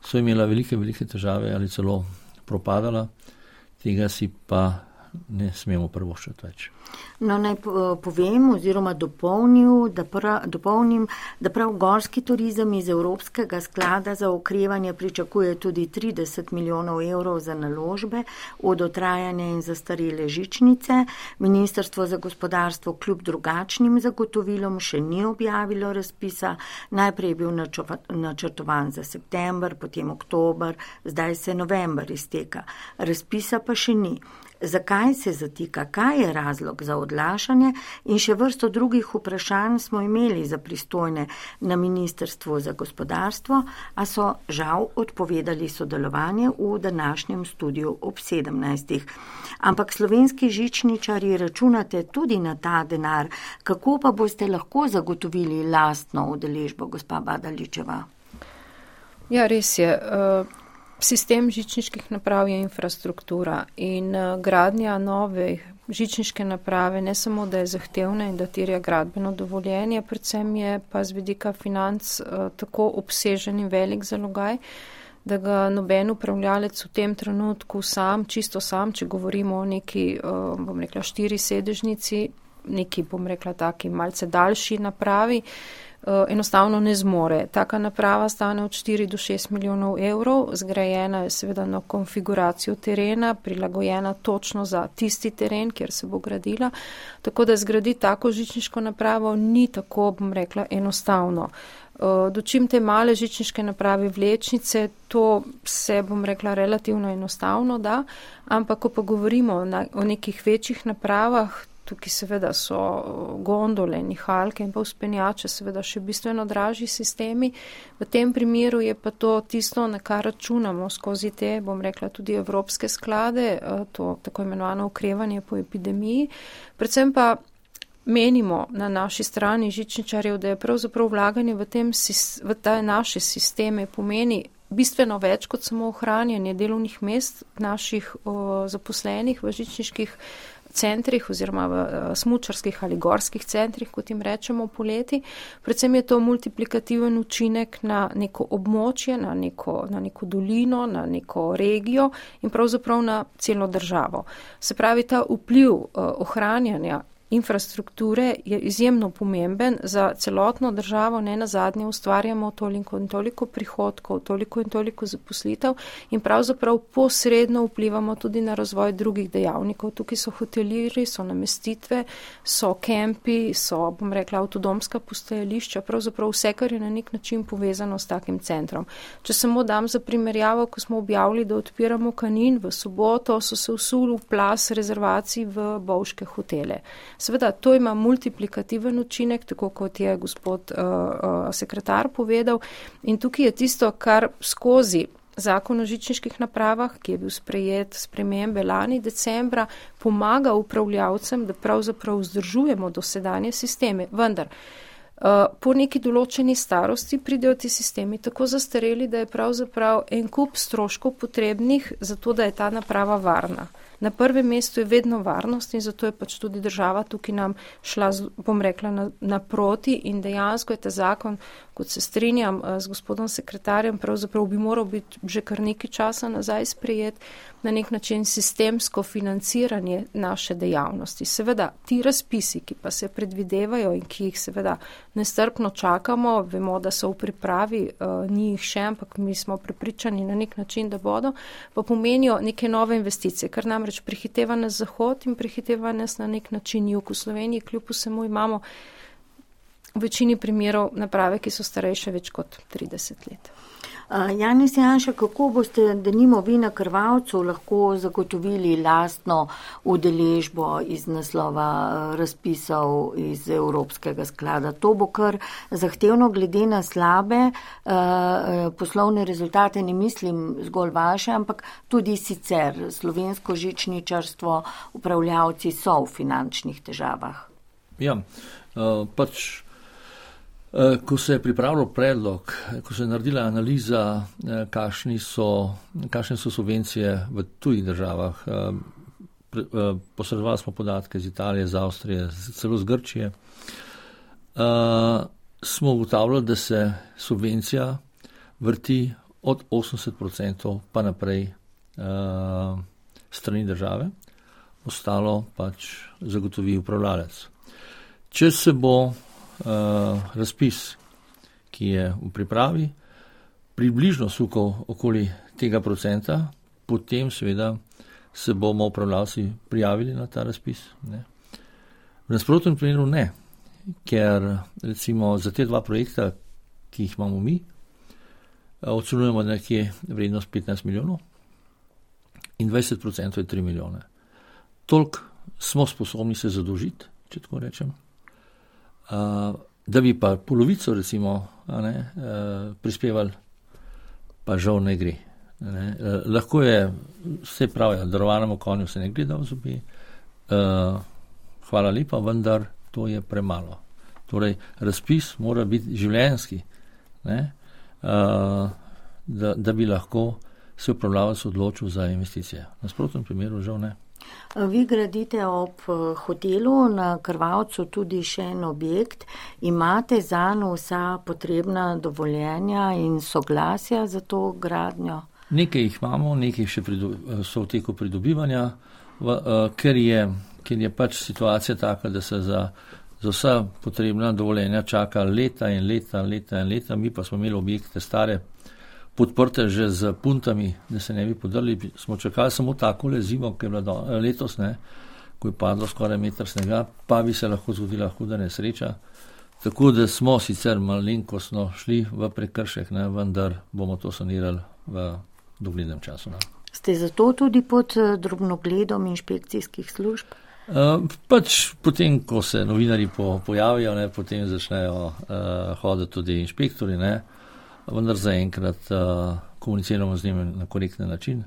so imela velike težave ali celo propadala, tega si pa ne smemo privoščiti več. No, naj povem oziroma dopolnim, da prav gorski turizem iz Evropskega sklada za okrevanje pričakuje tudi 30 milijonov evrov za naložbe v dotrajane in zastarele žičnice. Ministrstvo za gospodarstvo kljub drugačnim zagotovilom še ni objavilo razpisa. Najprej je bil načrtovan za september, potem oktober, zdaj se november izteka. Razpisa pa še ni. Zakaj se zatika, kaj je razlog za odlašanje in še vrsto drugih vprašanj smo imeli za pristojne na Ministrstvu za gospodarstvo, a so žal odpovedali sodelovanje v današnjem studiu ob 17. Ampak slovenski žičničarji računate tudi na ta denar. Kako pa boste lahko zagotovili lastno udeležbo, gospa Badaličeva? Ja, res je. Sistem žičniških naprav je infrastruktura in gradnja nove žičniške naprave ne samo, da je zahtevna in da terja gradbeno dovoljenje, predvsem je pa z vidika financ tako obsežen in velik zalogaj, da ga noben upravljalec v tem trenutku čisto sam, če govorimo o neki, 4 sedežnici, neki, taki malce daljši napravi, enostavno ne zmore. Taka naprava stane od 4 do 6 milijonov evrov, zgrajena je seveda na konfiguracijo terena, prilagojena točno za tisti teren, kjer se bo gradila. Tako da zgraditi tako žičniško napravo ni tako, bom rekla, enostavno. Dočim te male žičniške naprave vlečnice, to se, bom rekla, relativno enostavno da, ampak ko pa govorimo o nekih večjih napravah, tukaj seveda so gondole, nihalke in pa vzpenjače, seveda še bistveno dražji sistemi. V tem primeru je pa to tisto, na kar računamo skozi te, bom rekla, tudi evropske sklade, to tako imenovano okrevanje po epidemiji. Predvsem pa menimo na naši strani žičničarjev, da je pravzaprav vlaganje v te naše sisteme pomeni bistveno več kot samo ohranjanje delovnih mest naših zaposlenih v žičniških centrih oziroma v smučarskih ali gorskih centrih, kot jim rečemo poleti. Predvsem je to multiplikativen učinek na neko območje, na neko dolino, na neko regijo in pravzaprav na celo državo. Se pravi, ta vpliv ohranjanja infrastrukture je izjemno pomemben za celotno državo, ne nazadnje ustvarjamo toliko in toliko prihodkov, toliko in toliko zaposlitev in pravzaprav posredno vplivamo tudi na razvoj drugih dejavnikov. Tukaj so hotelirji, so namestitve, so kempi, so, bom rekla, avtodomska postajališča, pravzaprav vse, kar je na nek način povezano s takim centrom. Če samo dam za primerjavo, ko smo objavili, da odpiramo Kanin, v soboto so se vsul v plas rezervacij v bovške hotele. Seveda, to ima multiplikativen učinek, tako kot je gospod sekretar povedal. In tukaj je tisto, kar skozi zakon o žičniških napravah, ki je bil sprejet spremembe lani decembra, pomaga upravljavcem, da pravzaprav vzdržujemo dosedanje sisteme. Vendar, po neki določeni starosti pridejo ti sistemi tako zastareli, da je pravzaprav en kup stroškov potrebnih za to, da je ta naprava varna. Na prvem mestu je vedno varnost in zato je pač tudi država tukaj nam šla, bom rekla, naproti in dejansko je ta zakon, kot se strinjam z gospodom sekretarjem, pravzaprav bi moral biti že kar nekaj časa nazaj sprejet, na nek način sistemsko financiranje naše dejavnosti. Seveda, ti razpisi, ki pa se predvidevajo in ki jih seveda nestrpno čakamo, vemo, da so v pripravi, ni jih še, ampak mi smo prepričani na nek način, da bodo, pa pomenijo neke nove investicije, kar namreč prehiteva nas zahod in prehiteva nas na nek način jug. V Sloveniji kljub vsemu imamo v večini primerov naprave, ki so starejše več kot 30 let. Janez Janša, kako boste, denimo vi na Krvavcu, lahko zagotovili lastno udeležbo iz naslova razpisov iz Evropskega sklada? To bo kar zahtevno glede na slabe poslovne rezultate, ne mislim zgolj vaše, ampak tudi sicer slovensko žičničarstvo, upravljavci so v finančnih težavah. Ja, ko se je pripravil predlog, ko se je naredila analiza, kakšne so subvencije v tujih državah, posredovali smo podatke iz Italije, iz Avstrije, celo z Grčije, smo ugotavljali, da se subvencija vrti od 80% pa naprej strani države, ostalo pač zagotovi upravljalec. Če se bo razpis, ki je v pripravi, približno sukal okoli tega procenta, potem seveda se bomo upravljavci prijavili na ta razpis. Ne. V nasprotnem primeru ne, ker recimo za te dva projekta, ki jih imamo mi, ocenjujemo nekje vrednost 15 milijonov in 20% je 3 milijone. Toliko smo sposobni se zadolžiti, če tako rečem, da bi pa polovico recimo prispevali, pa žal ne gre. Ne. Lahko je, vse pravijo, darovanemu konju se ne gre da v zobe, hvala lepa, vendar to je premalo. Torej, razpis mora biti življenjski, ne, da bi lahko se upravljavec odločil za investicije. V nasprotnem primeru žal ne. Vi gradite ob hotelu na Krvavcu tudi še en objekt. Imate zanj vsa potrebna dovoljenja in soglasja za to gradnjo? Nekaj jih imamo, nekaj še so v teku pridobivanja, ker je pač situacija taka, da se za vsa potrebna dovoljenja čaka leta in leta, mi pa smo imeli objekte stare, podprte že z puntami, da se ne bi podrli, smo čakali samo takole zimo, ki je bila letos, ne, ko je padlo skoraj meter snega, pa bi se lahko zgodila huda nesreča. Tako da smo sicer malenkostno šli v prekršek, ne, vendar bomo to sanirali v doglednem času. Ne. Ste zato tudi pod drobnogledom inšpekcijskih služb? Pač potem, ko se novinari pojavijo, ne, potem začnejo hoditi tudi inšpektori, ne, vendar zaenkrat komuniciramo z njimi na korektni način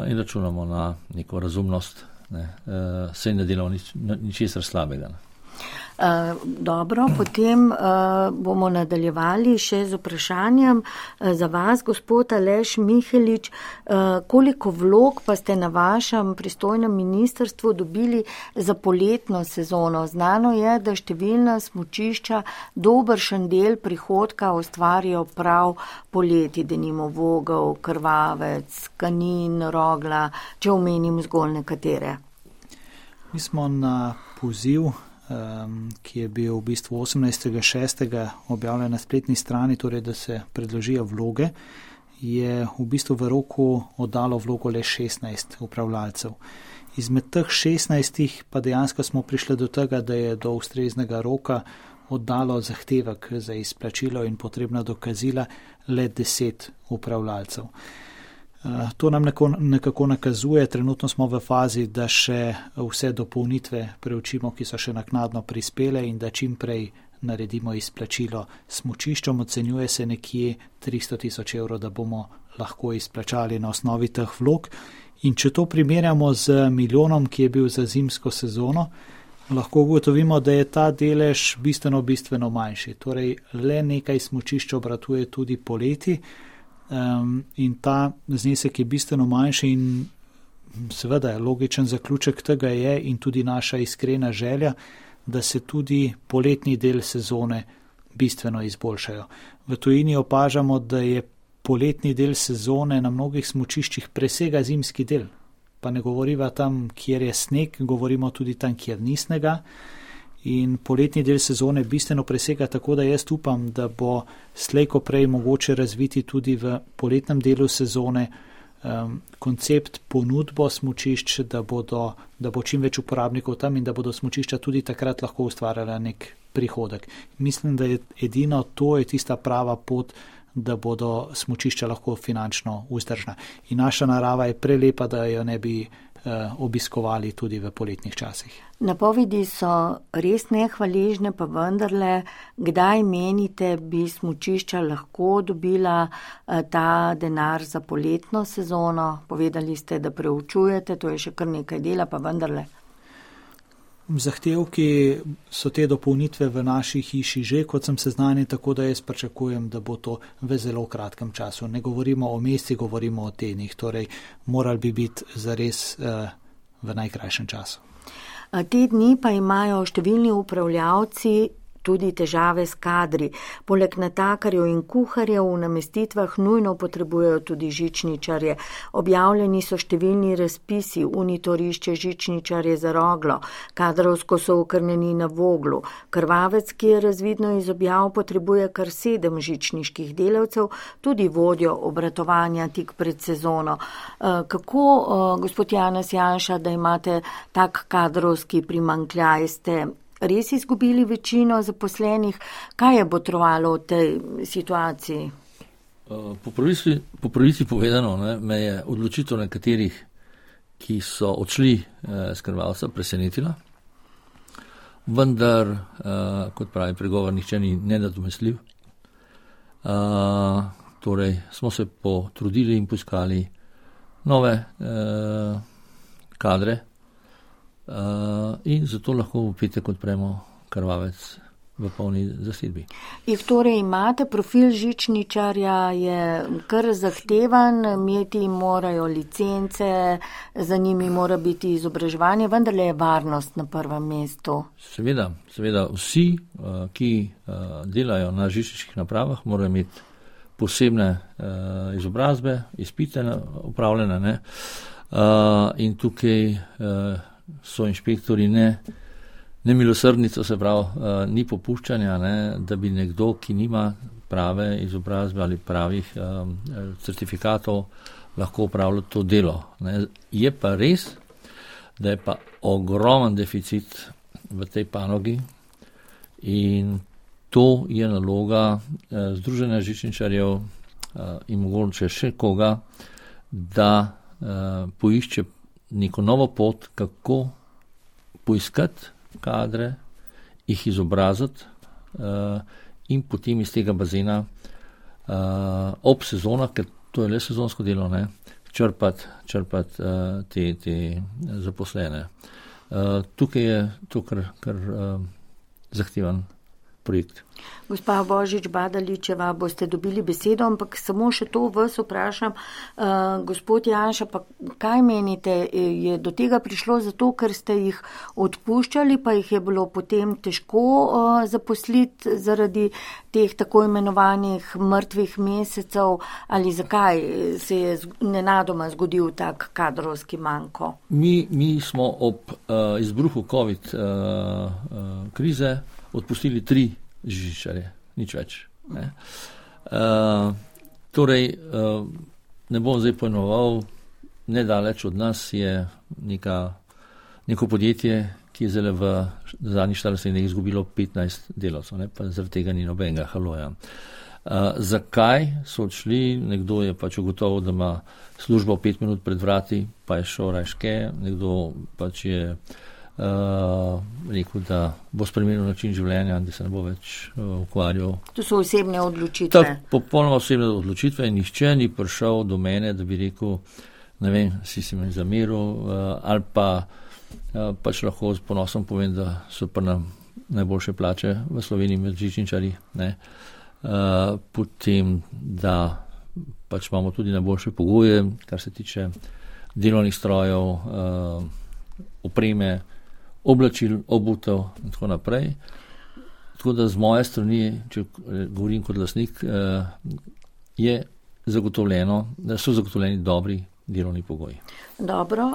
in računamo na neko razumnost, ne, saj ne delamo ničesar slabega. Ne. Dobro, potem bomo nadaljevali še z vprašanjem za vas, gospod Aleš Mihelič. Koliko vlog pa ste na vašem pristojnem ministrstvu dobili za poletno sezono? Znano je, da številna smučišča dobršen del prihodka ustvarijo prav poleti, denimo Vogel, Krvavec, Kanin, Rogla, če omenim zgolj nekatere. Mi smo na poziv, ki je bil v bistvu 18.6. objavljen na spletni strani, torej da se predložijo vloge, je v bistvu v roku oddalo vlogo le 16 upravljalcev. Izmed teh 16 pa dejansko smo prišli do tega, da je do ustreznega roka oddalo zahtevek za izplačilo in potrebna dokazila le 10 upravljalcev. To nam nekako nakazuje, trenutno smo v fazi, da še vse dopolnitve preučimo, ki so še naknadno prispele in da čim prej naredimo izplačilo smučiščom. Ocenjuje se nekje 300,000 evrov, da bomo lahko izplačali na osnovi teh vlog. In če to primerjamo z milijonom, ki je bil za zimsko sezono, lahko ugotovimo, da je ta delež bistveno manjši. Torej, le nekaj smučišč obratuje tudi poleti, in ta znesek je bistveno manjši in seveda logičen zaključek tega je in tudi naša iskrena želja, da se tudi poletni del sezone bistveno izboljšajo. V tujini opažamo, da je poletni del sezone na mnogih smučiščih presega zimski del. Pa ne govoriva tam, kjer je sneg, govorimo tudi tam, kjer ni snega. In poletni del sezone bistveno presega, tako da jaz upam, da bo slejko prej mogoče razviti tudi v poletnem delu sezone koncept ponudbo smučišč, da bo čim več uporabnikov tam in da bodo smučišča tudi takrat lahko ustvarjala nek prihodek. Mislim, da je edino to je tista prava pot, da bodo smučišča lahko finančno vzdržna. In naša narava je prelepa, da jo ne bi obiskovali tudi v poletnih časih. Napovedi so res nehvaležne, pa vendarle, kdaj menite, bi smučišča lahko dobila ta denar za poletno sezono? Povedali ste, da preučujete, to je še kar nekaj dela, pa vendarle. Zahtevki so te dopolnitve v naši hiši že, kot sem seznanjen, tako da jaz pričakujem, da bo to v zelo kratkem času. Ne govorimo o mesecih, govorimo o tednih, torej morali bi biti zares v najkrajšem času. Te dni pa imajo številni upravljavci tudi težave s kadri. Poleg natakarjev in kuharjev v namestitvah nujno potrebujejo tudi žičničarje. Objavljeni so številni razpisi, unitorišče žičničarje za Roglo, kadrovsko so okrnjeni na Voglu. Krvavec, ki je razvidno iz objav, potrebuje kar 7 žičniških delavcev, tudi vodjo obratovanja tik pred sezono. Kako, gospod Janez Janša, da imate tak kadrovski primanjkljaj, ste res izgubili večino zaposlenih? Kaj je botrovalo v tej situaciji? Po pravici povedano, ne, me je odločitev nekaterih, ki so odšli z Krvavca, presenetila. Vendar, kot pravi pregovor, nihče ni nenadomestljiv. Torej, smo se potrudili in poiskali nove kadre, in zato lahko v petek odpremo Krvavec v polni zasedbi. In torej imate profil žičničarja, je kar zahtevan, imeti morajo licence, za njimi mora biti izobraževanje, vendar je varnost na prvem mestu. Seveda, vsi, ki delajo na žičniških napravah, morajo imeti posebne izobrazbe, izpite upravljene, ne? In tukaj so inšpektori ne nemilosrdnico, se pravi, ni popuščanja, ne, da bi nekdo, ki nima prave izobrazbe ali pravih certifikatov, lahko upravljal to delo. Ne. Je pa res, da je pa ogromen deficit v tej panogi in to je naloga Združenja žičničarjev in mogoče še koga, da poišče neko novo pot, kako poiskati kadre, jih izobraziti in potem iz tega bazena ob sezonah, ker to je le sezonsko delo, ne, črpati te zaposlene. Tukaj je to kar zahteven projekt. Gospa Božič-Badaličeva, boste dobili besedo, ampak samo še to vas vprašam. Gospod Janša, pa kaj menite, je do tega prišlo zato, ker ste jih odpuščali, pa jih je bilo potem težko zaposliti zaradi teh tako imenovanih mrtvih mesecev, ali zakaj se je nenadoma zgodil tak kadrovski manko? Mi smo ob izbruhu COVID krize odpustili 3 žičničarje, nič več. Ne. Ne bom zdaj pojmoval, nedaleč od nas je neko podjetje, ki je zdaj v zadnjih 40 letih izgubilo 15 delavcev, ne, pa zaradi tega ni nobenega haloja. Zakaj so odšli? Nekdo je pač ugotovil, da ima službo 5 minut pred vrati, pa je šel rajške, nekdo pač je rekel, da bo spremenil način življenja, da se ne bo več ukvarjal. To so osebne odločitve. Popolnoma osebne odločitve in nihče ni prišel do mene, da bi rekel, ne vem, si me zameril, ali pa pač lahko s ponosom povem, da so pa nam najboljše plače v Sloveniji med žičničarji, ne. Potem, da pač imamo tudi najboljše pogoje, kar se tiče delovnih strojev, opreme, oblačil, obutev in tako naprej. Tako da z moje strani, če govorim kot lastnik, so zagotovljeni dobri delovni pogoji. Dobro,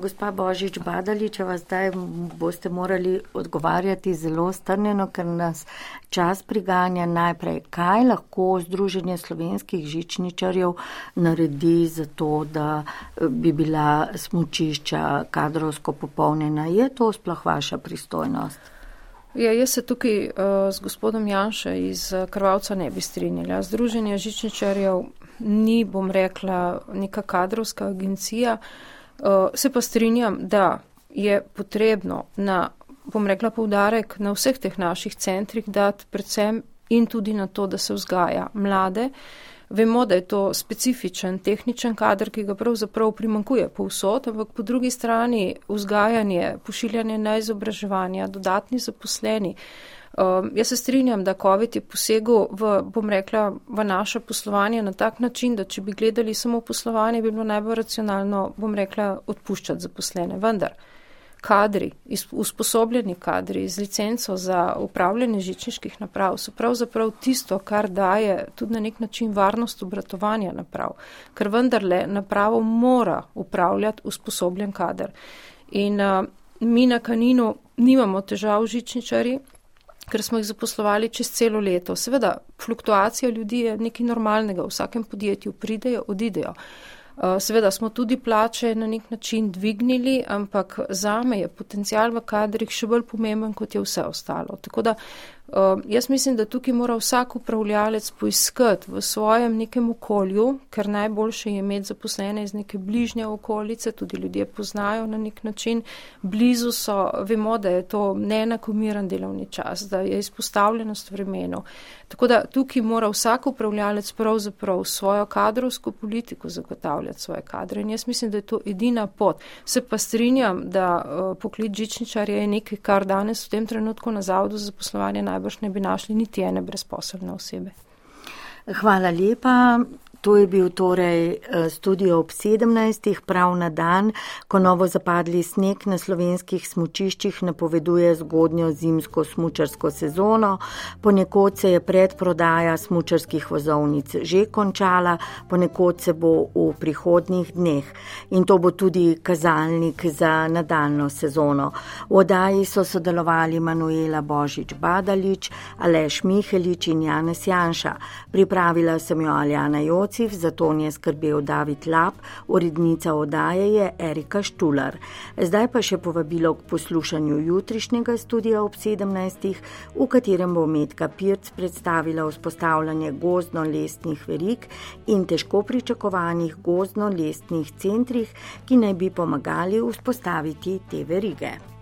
gospa Božič-Badaličeva, zdaj boste morali odgovarjati zelo strnjeno, ker nas čas priganja. Najprej, kaj lahko Združenje slovenskih žičničarjev naredi za to, da bi bila smučišča kadrovsko popolnjena? Je to sploh vaša pristojnost? Ja, jaz se tukaj z gospodom Janša iz Krvavca ne bi strinjala. Združenje žičničarjev ni, bom rekla, neka kadrovska agencija. Se pa strinjam, da je potrebno bom rekla, poudarek na vseh teh naših centrih dati predvsem in tudi na to, da se vzgaja mlade. Vemo, da je to specifičen tehničen kader, ki ga pravzaprav primanjkuje povsod, ampak po drugi strani vzgajanje, pošiljanje na izobraževanja, dodatni zaposleni. Jaz se strinjam, da COVID je posegel v naše poslovanje na tak način, da če bi gledali samo poslovanje, bi bilo najbolj racionalno, odpuščati zaposlene. Vendar kadri, usposobljeni kadri z licenco za upravljanje žičniških naprav so pravzaprav tisto, kar daje tudi na nek način varnost obratovanja naprav, ker vendarle napravo mora upravljati usposobljen kader. In mi na Kaninu nimamo težav žičničarji, ker smo jih zaposlovali čez celo leto. Seveda, fluktuacija ljudi je nekaj normalnega, v vsakem podjetju pridejo, odidejo. Seveda smo tudi plače na nek način dvignili, ampak zame je potencial v kadrih še bolj pomemben, kot je vse ostalo. Tako da jaz mislim, da tukaj mora vsak upravljalec poiskati v svojem nekem okolju, ker najboljše je imeti zaposlene iz neke bližnje okolice, tudi ljudje poznajo na nek način, blizu so, vemo, da je to neenakomiren delovni čas, da je izpostavljenost vremenu. Tako da tukaj mora vsak upravljalec pravzaprav svojo kadrovsko politiko zagotavljati svoje kadre in jaz mislim, da je to edina pot. Se pa strinjam, da poklic žičničarja je nekaj, kar danes v tem trenutku na Zavodu za zaposlovanje najbrž ne bi našli niti ene brezposelne osebe. Hvala lepa. To je bil torej studio ob 17. prav na dan, ko novo zapadli sneg na slovenskih smučiščih napoveduje zgodnjo zimsko smučarsko sezono. Ponekod se je predprodaja smučarskih vozovnic že končala, ponekod se bo v prihodnjih dneh. In to bo tudi kazalnik za nadaljno sezono. V oddaji so sodelovali Manuela Božič-Badalič, Aleš Mihelič in Janez Janša. Pripravila sem jo Aljana Jociv, za to je skrbel David Lap, urednica oddaje je Erika Štular. Zdaj pa še povabilo k poslušanju jutrišnjega studia ob 17. v katerem bo Metka Pirc predstavila vzpostavljanje gozdno-lestnih verig in težko pričakovanih gozdno-lestnih centrih, ki naj bi pomagali vzpostaviti te verige.